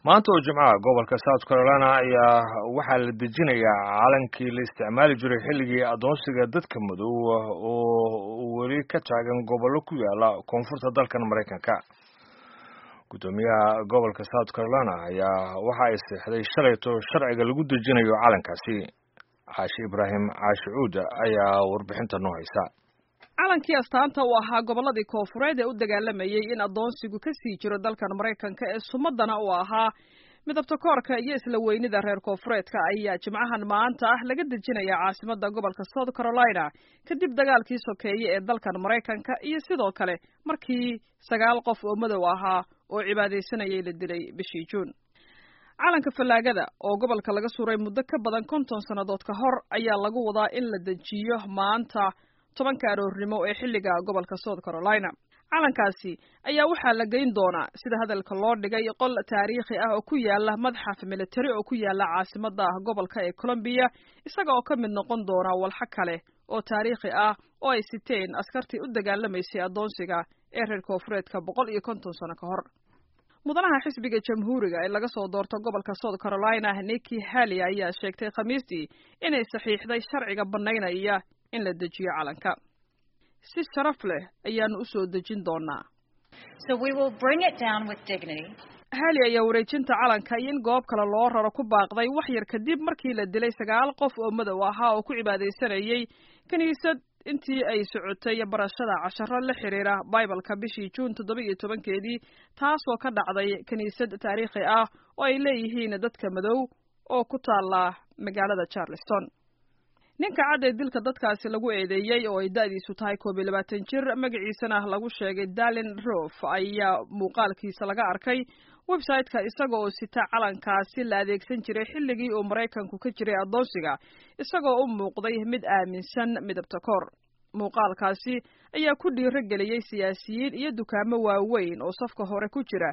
Maanta oo Jimcaha, gobolka South Carolina ayaa waxaa la dejinayaa calankii la isticmaali jiray xilligii addoonsiga dadka madow oo weli ka taagan gobollo ku yaala koonfurta dalkan Maraykanka. Guddoomiyaha gobolka South Carolina ayaa waxa ay seexday shalayto sharciga lagu dejinayo calankaasi. Caashi Ibraahim Caashi Cuuda ayaa warbixinta noo haysa. Calankii astaanta u ahaa gobolladii koonfureed ee u dagaalamayey in addoonsigu ka sii jiro dalkan Maraykanka, ee sumadana u ahaa midabta koorka iyo isla weynida reer koonfureedka, ayaa Jimcahan maanta ah laga dejinayaa caasimadda gobolka South Carolina, kadib dagaalkii sokeeye ee dalkan Maraykanka iyo sidoo kale markii 9 qof oo madow ahaa oo cibaadaysanayay la dilay bishii Juun. Calanka fallaagada oo gobolka laga suray muddo ka badan 50 sannadood ka hor ayaa lagu wadaa in la dejiyo maanta 10-ka aroornimo ee xilliga gobolka South Carolina. Calankaasi ayaa waxaa la geyn doonaa, sida hadalka loo dhigay, qol taariikhi ah oo ku yaala madxaf militari oo ku yaala caasimadda gobolka ee Columbia, isaga oo ka mid noqon doona walxo kale oo taariikhi ah oo ay siteen askartii u dagaalamaysay addoonsiga ee reer koonfureedka 150 sano ka hor. Mudanaha xisbiga Jamhuuriga ee laga soo doorto gobolka South Carolina, Nikki Haley, ayaa sheegtay Khamiistii inay saxiixday sharciga bannaynaya in la dejiyo calanka. Si sharaf leh ayaanu u soo dejin doonaa. Haley ayaa wareejinta calanka iyo in goob kale loo raro ku baaqday wax yar kadib markii la dilay 9 qof oo madow ahaa oo ku cibaadaysanayay kiniisad intii ay socotay barashada casharo la xiriira Bibalka bishii Juun 17-keedii, taasoo ka dhacday kiniisad taariikhi ah oo ay leeyihiin dadka madow oo ku taala magaalada Charleston. Ninka cad ee dilka dadkaasi lagu eedeeyey, oo ay da'diisu tahay 21 jir, magaciisana lagu sheegay Dalin Roof, ayaa muuqaalkiisa laga arkay website-ka isaga oo sita calankaasi la adeegsan jiray xilligii uu Maraykanku ka jiray addoonsiga, isagoo u muuqday mid aaminsan midabta koor. Muuqaalkaasi ayaa ku dhiiro geliyey siyaasiyiin iyo dukaamo waaweyn oo safka hore ku jira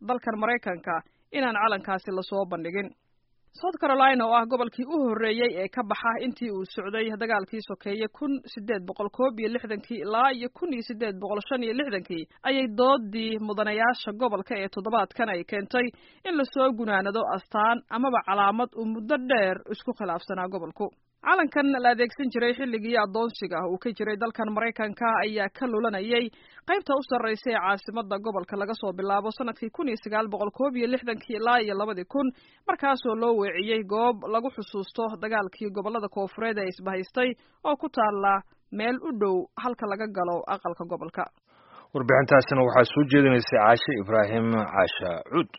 dalkan Maraykanka inaan calankaasi lasoo bandhigin. South Carolina oo ah gobolkii u horreeyey ee ka baxa intii uu socday dagaalkii sokeeye 1861-kii ilaa iyo 1865-kii, ayay doodii mudanayaasha gobolka ee toddobaadkan ay keentay in lasoo gunaanado astaan amaba calaamad uu muddo dheer isku khilaafsanaa gobolku. Calankan la adeegsan jiray xilligii addoonsiga uu ka jiray dalkan Maraykanka ayaa ka lulanayay qaybta u sarreysa ee caasimadda gobolka laga soo bilaabo sanadkii 1961-kii ilaa iyo 2000, markaasoo loo weeciyey goob lagu xusuusto dagaalkii gobollada koonfureed ee isbahaystay oo ku taala meel u dhow halka laga galo aqalka gobolka. Warbixintaasina waxaa soo jeedinaysay Caashe Ibraahim Caasha Cuud.